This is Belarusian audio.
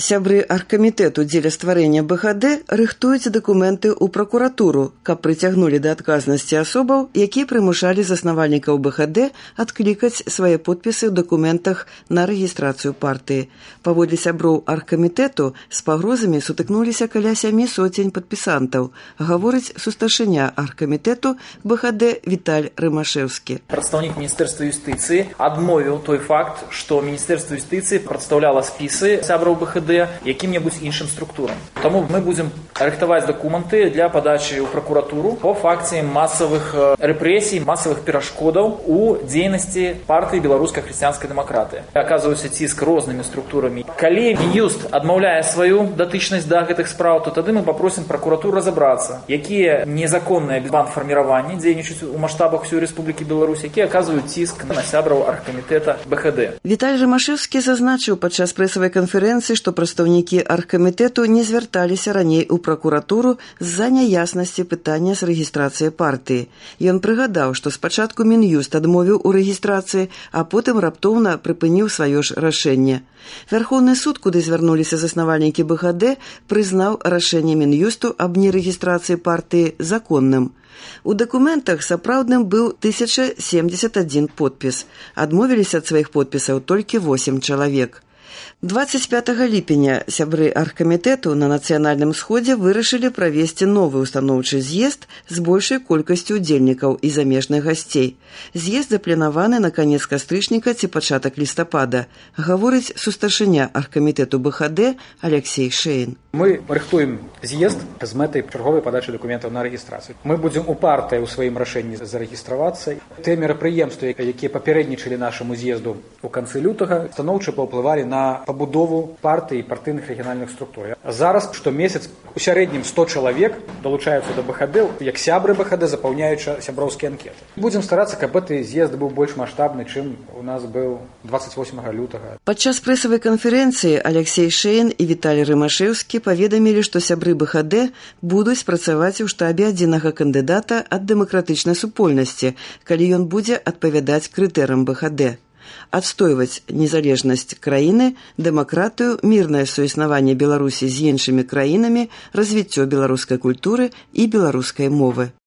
Сябры аргкамітэту дзеля стварэння БХД рыхтуюць дакументы ў пракуратуру, каб прыцягнулі да адказнасці асобаў, якія прымушалі заснавальнікаў БХД адклікаць свае подпісы ў дакументах на рэгістрацыю партыі. Паводле сяброў аргкамітэту з пагрозамі сутыкнуліся каля 700 падпісантаў, гаворыць сустаршыня аргкамітэту БХД Віталь Рымашэўскі. Прадстаўнік Міністэрства юстыцыі адмовіў той факт, што Міністэрства юстыцыі прадстаўляла спісы сябраў БХД якім-небудзь іншым структурам. Таму мы будзем рыхтаваць дакументы для падачы ў пракуратуру по факце масавых рэпрэсій, масавых перашкодаў у дзейнасці партыі беларускай хрысціянскай дэмакратыі. Аказваюцца ціск рознымі структурамі. Калі Мін'юст адмаўляе сваю датычнасць да гэтых спраў, то тады мы папросім пракуратуру разабрацца, якія незаконныя бандфарміраванні дзейнічаюць у маштабах усёй Рэспублікі Беларусь, якія аказваюць ціск на сябраў аргкамітэта БХД. Віталь Рымашэўскі зазначыў падчас прэсавай канферэнцыі, што прадстаўнікі аргкамітэту не звярталіся раней у пракуратуру з-за няяснасці пытання з рэгістрацыяй партыі. Ён прыгадаў, што спачатку Мін'юст адмовіў у рэгістрацыі, а потым раптоўна прыпыніў сваё ж рашэнне. Вярхоўны суд, куды звярнуліся заснавальнікі БХД, прызнаў рашэнне Мін'юсту аб нерэгістрацыі партыі законным. У дакументах сапраўдным быў 1071 подпіс. Адмовіліся ад сваіх подпісаў толькі 8 чалавек. 25 ліпеня сябры аргкамітэту на нацыянальным сходзе вырашылі правесці новы устаноўчы з'езд з большай колькасцю удзельнікаў і замежных гасцей. З'езд запланаваны на канец кастрычніка ці пачатак лістапада, гаворыць сустаршыня аргкамітэту БХД Алексей Шейн. Мы рыхтуем з'езд з мэтай чарговай падачы дакументаў на рэгістрацыю. Мы будзем упартыя ў сваім рашэнні зарэгістравацца. Тыя мерапрыемствы, якія папярэднічалі нашаму з'езду ў канцы лютага, станоўча паўплывалі на пабудову партый і партыйных рэгіянальных структур. Зараз штомесяц у сярэднім 100 чалавек далучаюцца да БХД, як сябры БХД, запаўняючы сяброўскія анкеты. Будзем старацца, каб гэты з'езд быў больш маштабны, чым у нас быў 28 лютага. Падчас прэсавай канферэнцыі Алексей Шейн і Віталь Рымашэўскі паведамілі, што сябры БХД будуць працаваць у штабе адзінага кандыдата ад дэмакратычнай супольнасці, калі ён будзе адпавядаць крытэрыям БХД. Адстойваць незалежнасць краіны, дэмакратыю, мірнае суіснаванне Беларусі з іншымі краінамі, развіццё беларускай культуры і беларускай мовы.